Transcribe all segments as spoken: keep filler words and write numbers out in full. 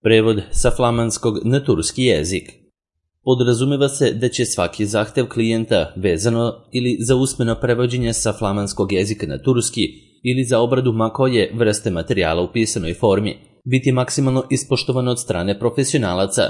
Prevod sa flamanskog na turski jezik. Podrazumeva se da će svaki zahtev klijenta vezano ili za usmeno prevođenje sa flamanskog jezika na turski ili za obradu ma koje vrste materijala u pisanoj formi biti maksimalno ispoštovan od strane profesionalaca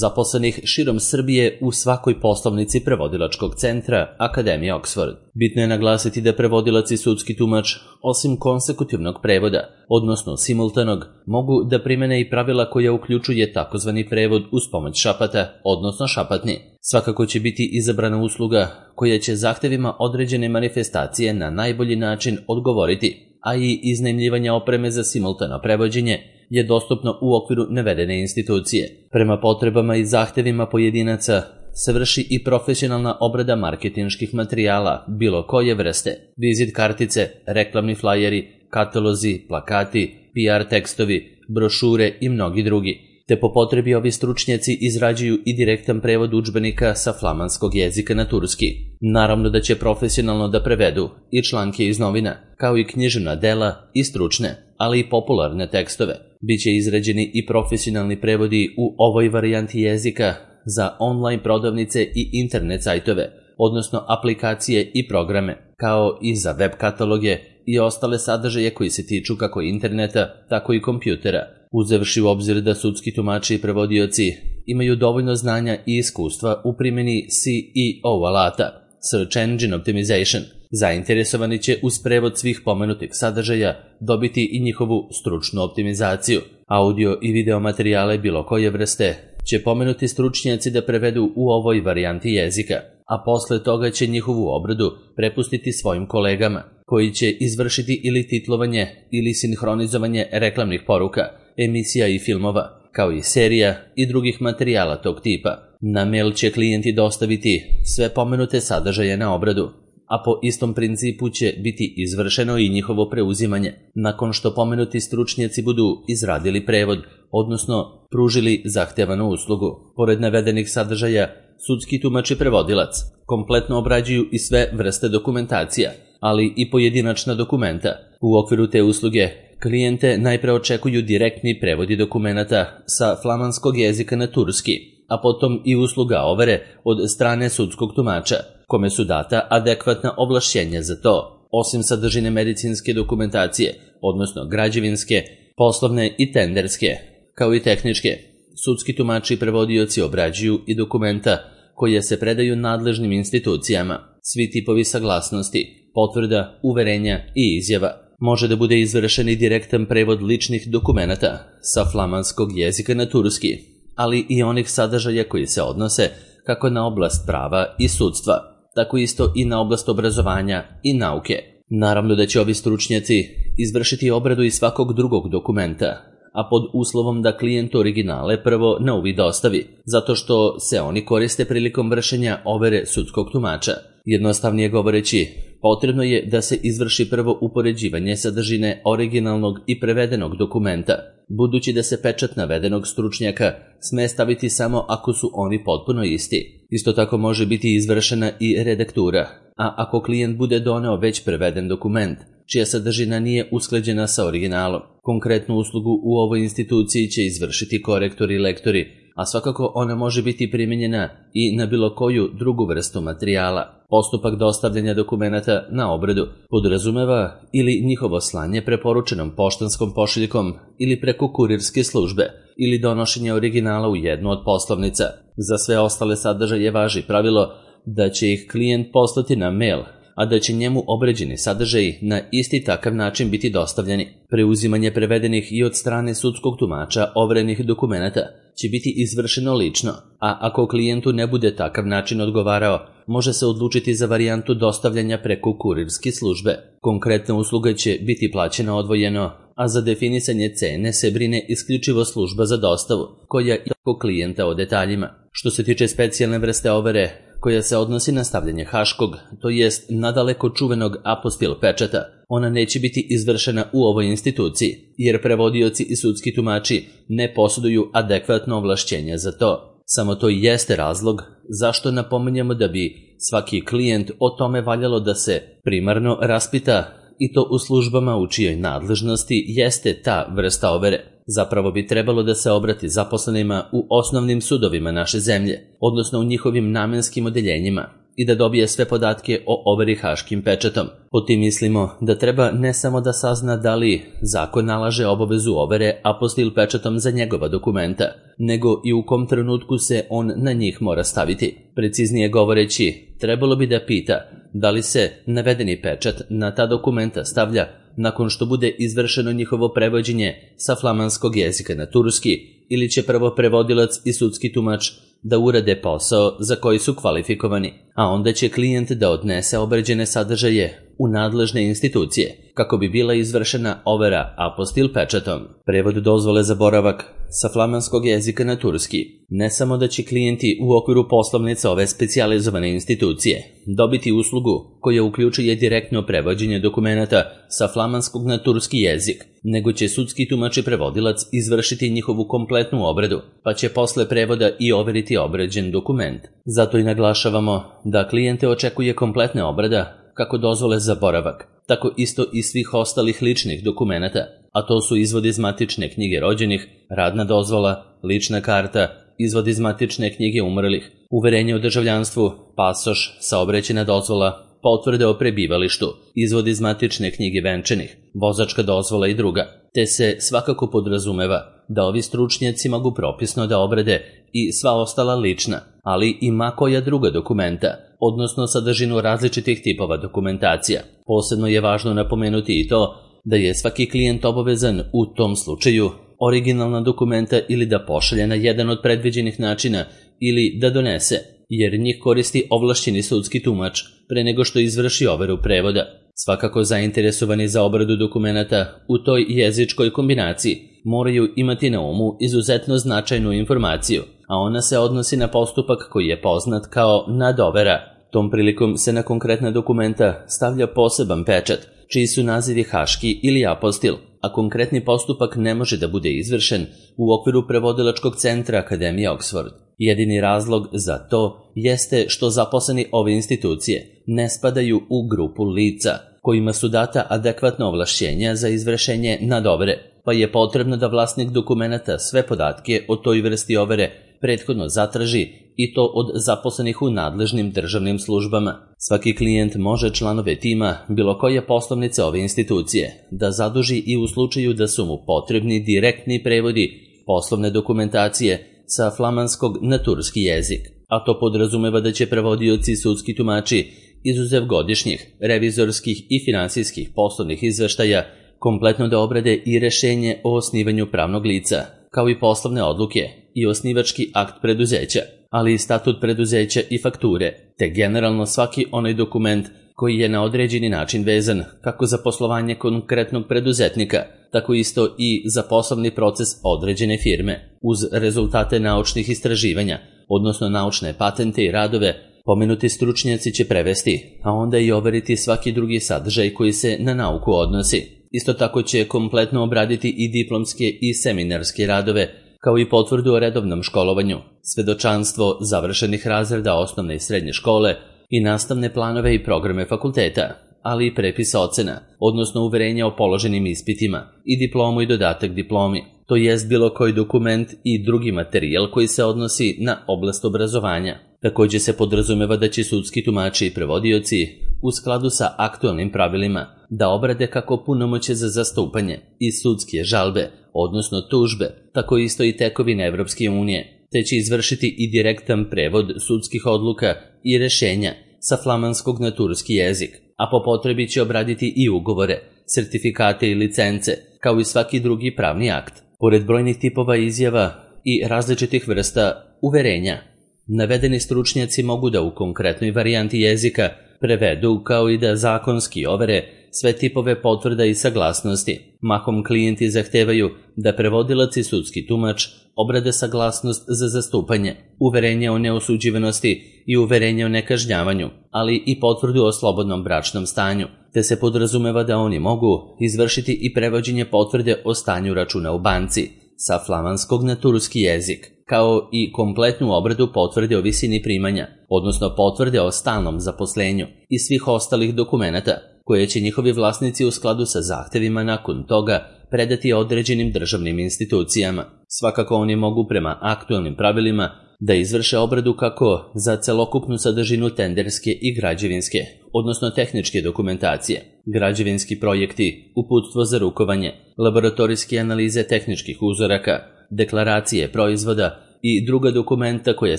zaposlenih širom Srbije u svakoj poslovnici prevodilačkog centra Akademije Oxford. Bitno je naglasiti da prevodilac i sudski tumač, osim konsekutivnog prevoda, odnosno simultanog, mogu da primene i pravila koja uključuje takozvani prevod uz pomoć šapata, odnosno šapatni. Svakako će biti izabrana usluga koja će zahtevima određene manifestacije na najbolji način odgovoriti, a i iznajmljivanje opreme za simultano prevođenje je dostupno u okviru navedene institucije. Prema potrebama i zahtevima pojedinaca se vrši i profesionalna obrada marketinških materijala bilo koje vrste, vizit kartice, reklamni flajeri, katalozi, plakati, P R tekstovi, brošure i mnogi drugi, te po potrebi ovi stručnjaci izrađuju i direktan prevod udžbenika sa flamanskog jezika na turski. Naravno da će profesionalno da prevedu i članke iz novina, kao i književna dela i stručne, ali i popularne tekstove. Biće izrađeni i profesionalni prevodi u ovoj varijanti jezika za online prodavnice i internet sajtove, odnosno aplikacije i programe, kao i za web kataloge i ostale sadržaje koji se tiču kako interneta, tako i kompjutera, uzevši u obzir da sudski tumači i prevodioci imaju dovoljno znanja i iskustva u primjeni C E O alata, Search Engine Optimization. Zainteresovani će uz prevod svih pomenutih sadržaja dobiti i njihovu stručnu optimizaciju. Audio i video materijale bilo koje vrste će pomenuti stručnjaci da prevedu u ovoj varijanti jezika, a posle toga će njihovu obradu prepustiti svojim kolegama, koji će izvršiti ili titlovanje ili sinhronizovanje reklamnih poruka, emisija i filmova, kao i serija i drugih materijala tog tipa. Na mail će klijenti dostaviti sve pomenute sadržaje na obradu, a po istom principu će biti izvršeno i njihovo preuzimanje, nakon što pomenuti stručnjaci budu izradili prevod, odnosno pružili zahtevanu uslugu. Pored navedenih sadržaja, sudski tumač i prevodilac kompletno obrađuju i sve vrste dokumentacija, ali i pojedinačna dokumenta. U okviru te usluge klijente najpre očekuju direktni prevodi dokumenata sa flamanskog jezika na turski, a potom i usluga overe od strane sudskog tumača, kome su data adekvatna ovlašćenja za to, osim sadržine medicinske dokumentacije, odnosno građevinske, poslovne i tenderske, kao i tehničke. Sudski tumači i prevodioci obrađuju i dokumenta koje se predaju nadležnim institucijama, svi tipovi saglasnosti, potvrda, uverenja i izjava. Može da bude izvršen i direktan prevod ličnih dokumenata sa flamanskog jezika na turski, ali i onih sadržaja koji se odnose kako na oblast prava i sudstva, tako isto i na oblast obrazovanja i nauke. Naravno da će ovi stručnjaci izvršiti obradu i svakog drugog dokumenta, a pod uslovom da klijent originale prvo na uvid dostavi, zato što se oni koriste prilikom vršenja overe sudskog tumača. Jednostavnije govoreći, potrebno je da se izvrši prvo upoređivanje sadržine originalnog i prevedenog dokumenta, budući da se pečat navedenog stručnjaka sme staviti samo ako su oni potpuno isti. Isto tako može biti izvršena i redaktura, a ako klijent bude doneo već preveden dokument, čija sadržina nije usklađena sa originalom, konkretnu uslugu u ovoj instituciji će izvršiti korektori i lektori, a svakako ona može biti primijenjena i na bilo koju drugu vrstu materijala. Postupak dostavljanja dokumenata na obradu podrazumeva ili njihovo slanje preporučenom poštanskom pošiljkom ili preko kurirske službe ili donošenje originala u jednu od poslovnica. Za sve ostale sadržaje važi pravilo da će ih klijent poslati na mail, a da će njemu obrađeni sadržaji na isti takav način biti dostavljeni. Preuzimanje prevedenih i od strane sudskog tumača overenih dokumenata će biti izvršeno lično, a ako klijentu ne bude takav način odgovarao, može se odlučiti za varijantu dostavljanja preko kurirske službe. Konkretna usluga će biti plaćena odvojeno, a za definisanje cene se brine isključivo služba za dostavu, koja i klijenta o detaljima. Što se tiče specijalne vrste overe, koja se odnosi na stavljanje haškog, to jest nadaleko čuvenog apostil pečata, ona neće biti izvršena u ovoj instituciji, jer prevodioci i sudski tumači ne posjeduju adekvatno ovlašćenja za to. Samo to i jeste razlog zašto napominjemo da bi svaki klijent o tome valjalo da se primarno raspita, i to u službama u čijoj nadležnosti jeste ta vrsta overe. zapravo bi trebalo da se obrati zaposlenima u osnovnim sudovima naše zemlje, odnosno u njihovim namenskim odeljenjima, i da dobije sve podatke o overi haškim pečatom. Po tim mislimo da treba ne samo da sazna da li zakon nalaže obavezu overe apostil pečatom za njegova dokumenta, nego i u kom trenutku se on na njih mora staviti. Preciznije govoreći, trebalo bi da pita da li se navedeni pečat na ta dokumenta stavlja nakon što bude izvršeno njihovo prevođenje sa flamanskog jezika na turski, ili će prvo prevodilac i sudski tumač da urade posao za koji su kvalifikovani, a onda će klijent da odnese obrađene sadržaje u nadležne institucije, kako bi bila izvršena overa apostil pečatom. Prevod dozvole za boravak sa flamanskog jezika na turski. Ne samo da će klijenti u okviru poslovnice ove specijalizovane institucije dobiti uslugu koja uključuje direktno prevođenje dokumenata sa flamanskog na turski jezik, nego će sudski tumač i prevodilac izvršiti njihovu kompletnu obradu, pa će posle prevoda i overiti obrađen dokument. Zato i naglašavamo da klijente očekuje kompletna obrada kako dozvole za boravak, tako isto i svih ostalih ličnih dokumenata, a to su izvod iz matične knjige rođenih, radna dozvola, lična karta, izvod iz matične knjige umrlih, uverenje o državljanstvu, pasoš, saobraćajna dozvola, potvrde o prebivalištu, izvod iz matične knjige venčanih, vozačka dozvola i druga, te se svakako podrazumeva da ovi stručnjaci mogu propisno da obrade i sva ostala lična, ali i ma koja druga dokumenta, odnosno sadržinu različitih tipova dokumentacija. Posebno je važno napomenuti i to da je svaki klijent obavezan u tom slučaju originalna dokumenta ili da pošalje na jedan od predviđenih načina ili da donese, jer njih koristi ovlašćeni sudski tumač pre nego što izvrši overu prevoda. Svakako zainteresovani za obradu dokumenata u toj jezičkoj kombinaciji moraju imati na umu izuzetno značajnu informaciju, a ona se odnosi na postupak koji je poznat kao nadovera. Tom prilikom se na konkretna dokumenta stavlja poseban pečat, čiji su nazivi haški ili apostil, a konkretni postupak ne može da bude izvršen u okviru prevodilačkog centra Akademije Oxford. Jedini razlog za to jeste što zaposleni ove institucije ne spadaju u grupu lica kojima su data adekvatna ovlašćenja za izvršenje nadovere, pa je potrebno da vlasnik dokumenata sve podatke o toj vrsti overe prethodno zatraži i to od zaposlenih u nadležnim državnim službama. Svaki klijent može članove tima bilo koje poslovnice ove institucije da zaduži i u slučaju da su mu potrebni direktni prevodi poslovne dokumentacije sa flamanskog na turski jezik, a to podrazumeva da će prevodioci i sudski tumači izuzev godišnjih, revizorskih i finansijskih poslovnih izveštaja kompletno da obrade i rešenje o osnivanju pravnog lica, kao i poslovne odluke i osnivački akt preduzeća, ali i statut preduzeća i fakture, te generalno svaki onaj dokument koji je na određeni način vezan kako za poslovanje konkretnog preduzetnika, tako isto i za poslovni proces određene firme, uz rezultate naučnih istraživanja, odnosno naučne patente i radove. Pomenuti stručnjaci će prevesti, a onda i overiti svaki drugi sadržaj koji se na nauku odnosi. Isto tako će kompletno obraditi i diplomske i seminarske radove, kao i potvrdu o redovnom školovanju, svedočanstvo završenih razreda osnovne i srednje škole i nastavne planove i programe fakulteta, ali i prepis ocena, odnosno uverenja o položenim ispitima i diplomu i dodatak diplomi, to jest bilo koji dokument i drugi materijal koji se odnosi na oblast obrazovanja. Također se podrazumeva da će sudski tumači i prevodioci u skladu sa aktualnim pravilima da obrade kako punomoćje za zastupanje i sudske žalbe, odnosno tužbe, tako isto i tekovine Evropske unije, te će izvršiti i direktan prevod sudskih odluka i rešenja sa flamanskog na turski jezik, a po potrebi će obraditi i ugovore, sertifikate i licence, kao i svaki drugi pravni akt. Pored brojnih tipova izjava i različitih vrsta uverenja, navedeni stručnjaci mogu da u konkretnoj varijanti jezika prevedu kao i da zakonski overe sve tipove potvrda i saglasnosti. Mahom klijenti zahtevaju da prevodilac i sudski tumač obrade saglasnost za zastupanje, uverenje o neosuđivanosti i uverenje o nekažnjavanju, ali i potvrdu o slobodnom bračnom stanju, te se podrazumeva da oni mogu izvršiti i prevođenje potvrde o stanju računa u banci sa flamanskog na turski jezik, kao i kompletnu obradu potvrde o visini primanja, odnosno potvrde o stalnom zaposlenju i svih ostalih dokumenata, koje će njihovi vlasnici u skladu sa zahtevima nakon toga predati određenim državnim institucijama. Svakako oni mogu prema aktualnim pravilima da izvrše obradu kako za celokupnu sadržinu tenderske i građevinske, odnosno tehničke dokumentacije, građevinski projekti, uputstvo za rukovanje, laboratorijske analize tehničkih uzoraka, deklaracije proizvoda i druga dokumenta koje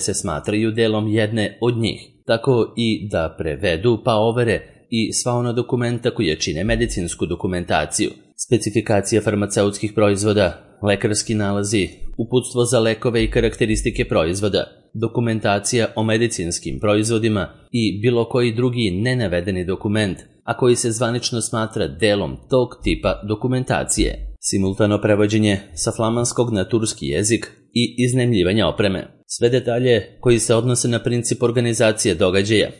se smatraju delom jedne od njih, tako i da prevedu pa overe i sva ona dokumenta koje čine medicinsku dokumentaciju, specifikacija farmaceutskih proizvoda, lekarski nalazi, uputstvo za lekove i karakteristike proizvoda, dokumentacija o medicinskim proizvodima i bilo koji drugi nenavedeni dokument, a koji se zvanično smatra delom tog tipa dokumentacije. Simultano prevođenje sa flamanskog na turski jezik i iznajmljivanja opreme. Sve detalje koji se odnose na princip organizacije događaja,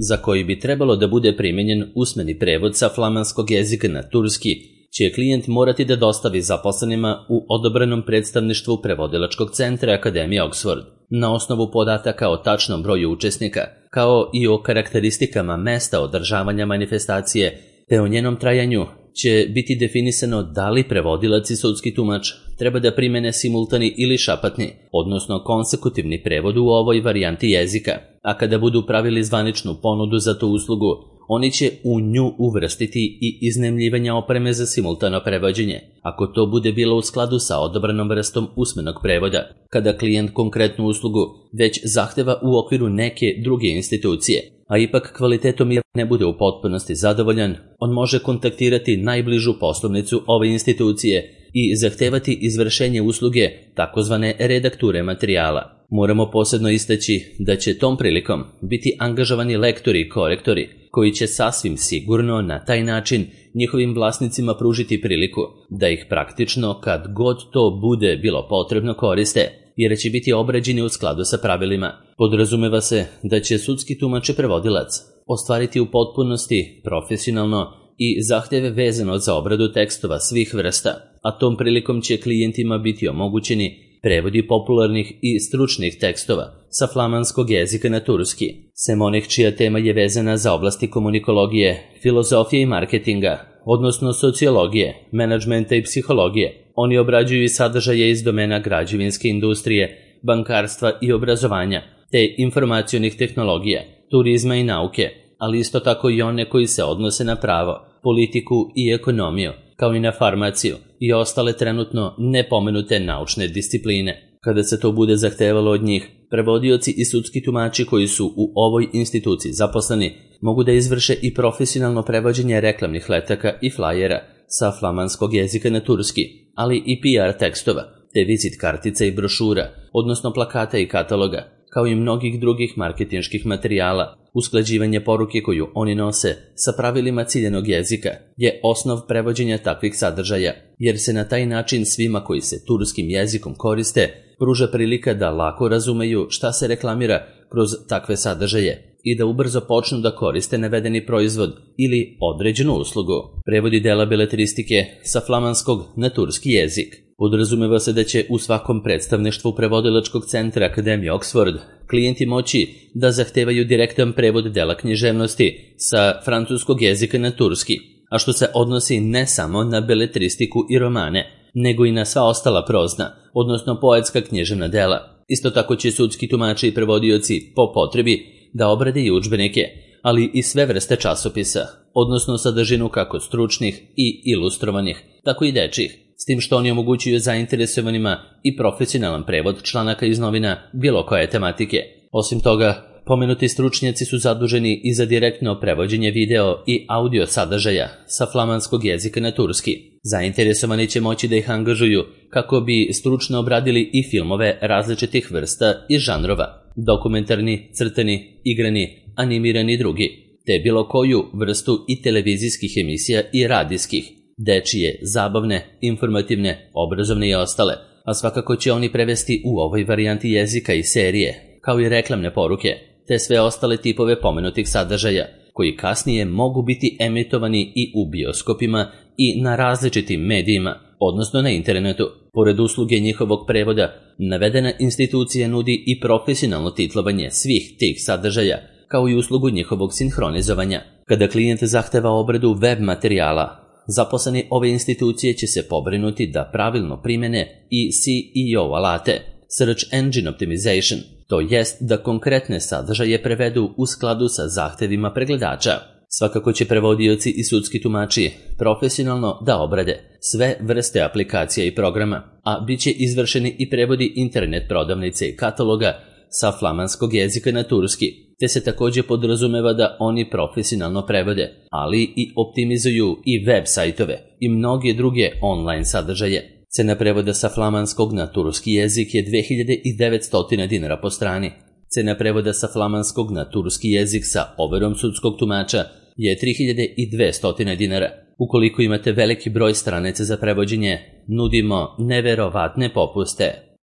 za koji bi trebalo da bude primenjen usmeni prevod sa flamanskog jezika na turski, će klijent morati da dostavi zaposlenima u odobrenom predstavništvu prevodilačkog centra Akademije Oxford, na osnovu podataka o tačnom broju učesnika, kao i o karakteristikama mesta održavanja manifestacije, te o njenom trajanju će biti definisano da li prevodilac i sudski tumač treba da primene simultani ili šapatni, odnosno konsekutivni prevod u ovoj varijanti jezika, a kada budu pravili zvaničnu ponudu za tu uslugu, oni će u nju uvrstiti i iznajmljivanje opreme za simultano prevođenje, ako to bude bilo u skladu sa odabranom vrstom usmenog prevoda. Kada klijent konkretnu uslugu već zahteva u okviru neke druge institucije, a ipak kvalitetom je ne bude u potpunosti zadovoljan, on može kontaktirati najbližu poslovnicu ove institucije i zahtevati izvršenje usluge takozvane redakture materijala. Moramo posebno istaći da će tom prilikom biti angažovani lektori i korektori, koji će sasvim sigurno na taj način njihovim vlasnicima pružiti priliku da ih praktično kad god to bude bilo potrebno koriste, jer će biti obrađeni u skladu sa pravilima. Podrazumeva se da će sudski tumač i prevodilac ostvariti u potpunosti profesionalno i zahteve vezano za obradu tekstova svih vrsta, a tom prilikom će klijentima biti omogućeni prevodi popularnih i stručnih tekstova sa flamanskog jezika na turski, sem onih čija tema je vezana za oblasti komunikologije, filozofije i marketinga, odnosno sociologije, menadžmenta i psihologije. Oni obrađuju i sadržaje iz domena građevinske industrije, bankarstva i obrazovanja, te informacionih tehnologija, turizma i nauke, ali isto tako i one koji se odnose na pravo, politiku i ekonomiju, kao i na farmaciju i ostale trenutno nepomenute naučne discipline. Kada se to bude zahtevalo od njih, prevodioci i sudski tumači koji su u ovoj instituciji zaposleni mogu da izvrše i profesionalno prevođenje reklamnih letaka i flajera sa flamanskog jezika na turski, ali i P R tekstova, te vizit kartica i brošura, odnosno plakata i kataloga, kao i mnogih drugih marketinških materijala. Usklađivanje poruke koju oni nose sa pravilima ciljenog jezika je osnov prevođenja takvih sadržaja, jer se na taj način svima koji se turskim jezikom koriste pruža prilika da lako razumeju šta se reklamira kroz takve sadržaje i da ubrzo počnu da koriste navedeni proizvod ili određenu uslugu. Prevodi dela beletristike sa flamanskog na turski jezik. Podrazumeva se da će u svakom predstavništvu prevodilačkog centra Akademije Oxford klijenti moći da zahtevaju direktan prevod dela književnosti sa francuskog jezika na turski, a što se odnosi ne samo na beletristiku i romane, nego i na sva ostala prozna, odnosno poetska književna dela. Isto tako će sudski tumači i prevodioci po potrebi da obrade i udžbenike, ali i sve vrste časopisa, odnosno sadržinu kako stručnih i ilustrovanih, tako i dečjih, s tim što oni omogućuju zainteresovanima i profesionalan prevod članaka iz novina bilo koje tematike. Osim toga, pomenuti stručnjaci su zaduženi i za direktno prevođenje video i audio sadržaja sa flamanskog jezika na turski. Zainteresovani će moći da ih angažuju kako bi stručno obradili i filmove različitih vrsta i žanrova, dokumentarni, crtani, igrani, animirani i drugi, te bilo koju vrstu i televizijskih emisija i radijskih, dečije, zabavne, informativne, obrazovne i ostale, a svakako će oni prevesti u ovoj varijanti jezika i serije, kao i reklamne poruke, te sve ostale tipove pomenutih sadržaja, koji kasnije mogu biti emitovani i u bioskopima i na različitim medijima, odnosno na internetu. Pored usluge njihovog prevoda, navedena institucija nudi i profesionalno titlovanje svih tih sadržaja, kao i uslugu njihovog sinhronizovanja. Kada klijent zahteva obradu web materijala, zaposleni ove institucije će se pobrinuti da pravilno primene i S E O alate, Search Engine Optimization, to jest da konkretne sadržaje prevedu u skladu sa zahtevima pregledača. Svakako će prevodioci i sudski tumači profesionalno da obrade sve vrste aplikacija i programa, a bit će izvršeni i prevodi internet prodavnice i kataloga sa flamanskog jezika na turski, te se također podrazumeva da oni profesionalno prevode, ali i optimizuju i web sajtove i mnoge druge online sadržaje. Cena prevoda sa flamanskog na turski jezik je dve hiljade devetsto dinara po strani. Cena prevoda sa flamanskog na turski jezik sa overom sudskog tumača je tri hiljade dvesta dinara. Ukoliko imate veliki broj stranica za prevođenje, nudimo neverovatne popuste.